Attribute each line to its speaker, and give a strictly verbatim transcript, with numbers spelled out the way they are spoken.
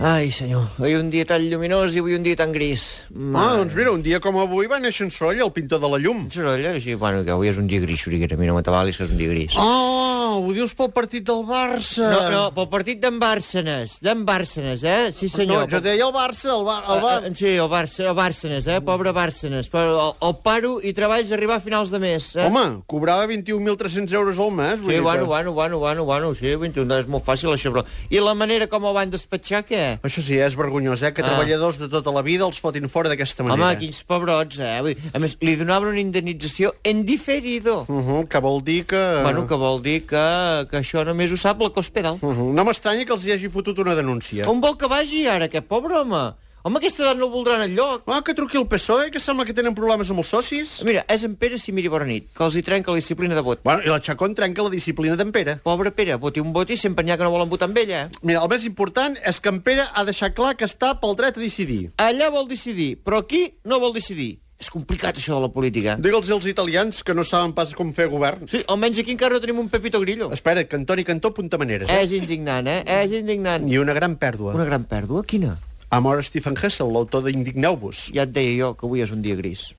Speaker 1: Ai, senyor, avui un dia tan lluminós i avui un dia tan gris.
Speaker 2: Ah, doncs mira, un dia com avui va néixer en Sorolla, el pintor de la llum.
Speaker 1: Sorolla, sí, bueno, que avui és un dia gris, Xuriguera. A mi no m'atabalis que és un dia gris.
Speaker 2: Ah, ho dius pel partit del Barça.
Speaker 1: No, no, pel partit d'en Bàrcenes, d'en Bàrcenes, eh? Sí, senyor.
Speaker 2: No, jo deia el Barça, el, Bar el Bar...
Speaker 1: Uh, uh, sí, el Barça, el Bàrcenes, eh? Pobre Bàrcenes. Però el, el paro i treballs arribar a finals de mes, eh?
Speaker 2: Home, cobrava vint-i-un mil tres-cents euros al mes.
Speaker 1: Sí, bueno, bueno, bueno, bueno, bueno, sí, vint-i-un, és molt fàcil això, però... I la manera com el van despatxar, què?
Speaker 2: Això sí, és vergonyós, eh? Que
Speaker 1: Ah.
Speaker 2: treballadors de tota la vida els fotin fora d'aquesta manera.
Speaker 1: Home, quins pebrots, eh? Vull dir, a més, li donaven una indemnització en diferido.
Speaker 2: Uh -huh, que vol dir que...
Speaker 1: Bueno, que vol dir que, que això només ho sap la Cospedal.
Speaker 2: Uh -huh. No m'estranya que els hi hagi fotut una denúncia.
Speaker 1: On vol que vagi ara, aquest pobre home? Home, aquesta edat no el voldran enlloc.
Speaker 2: Ah, que truqui el P S O E, que sembla que tenen problemes amb els socis.
Speaker 1: Mira, és en Pere Simiri bona nit, que els hi trenca la disciplina de vot.
Speaker 2: Bueno, i la Chacón trenca la disciplina d'en Pere.
Speaker 1: Pobre Pere, voti un vot i sempre n'hi ha que no volen votar amb ella.
Speaker 2: Mira, el més important és que en Pere ha deixat clar que està pel dret a decidir.
Speaker 1: Allà vol decidir, però aquí no vol decidir. És complicat, això de la política.
Speaker 2: Digue'ls als italians que no saben pas com fer govern.
Speaker 1: Sí, almenys aquí encara no tenim un Pepito Grillo.
Speaker 2: Espera, que Antoni Cantó apunta maneres, eh?
Speaker 1: És indignant, eh? És indignant.
Speaker 2: I una gran pèrdua.
Speaker 1: Una gran pèrdua? Quina?
Speaker 2: Ha mort Stephen Hessel, l'autor d'Indigneu-vos.
Speaker 1: Ja et deia jo que avui és un dia gris.